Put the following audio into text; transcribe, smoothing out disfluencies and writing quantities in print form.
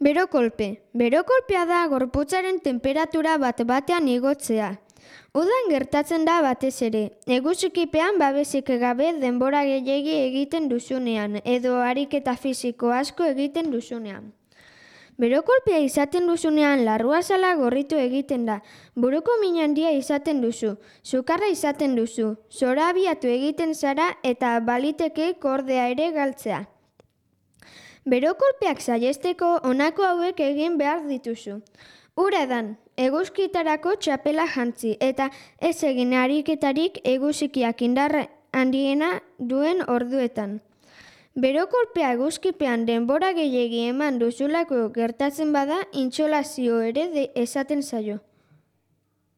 Berokolpe. Berokolpea da gorputzaren tenperatura bat-batean igotzea. Udan gertatzen da batez ere. Eguzkipean babesik gabe denbora gehiegi egiten duzunean edo ariketa fisiko asko egiten duzunean. Berokolpea izaten duzunean larruazala gorritu egiten da. Buruko min handia izaten duzu, sukarra izaten duzu, zorabiatu egiten zara eta baliteke kordea ere galtzea. Berokolpeak saihesteko honako hauek egin behar dituzu. Ura edan, eguzkitarako txapela jantzi eta ez egin ariketarik eguzkiak indarra handiena duen orduetan. Berokolpea eguzkipean denbora gehiegi eman duzulako gertatzen bada intsolazio ere esaten zaio.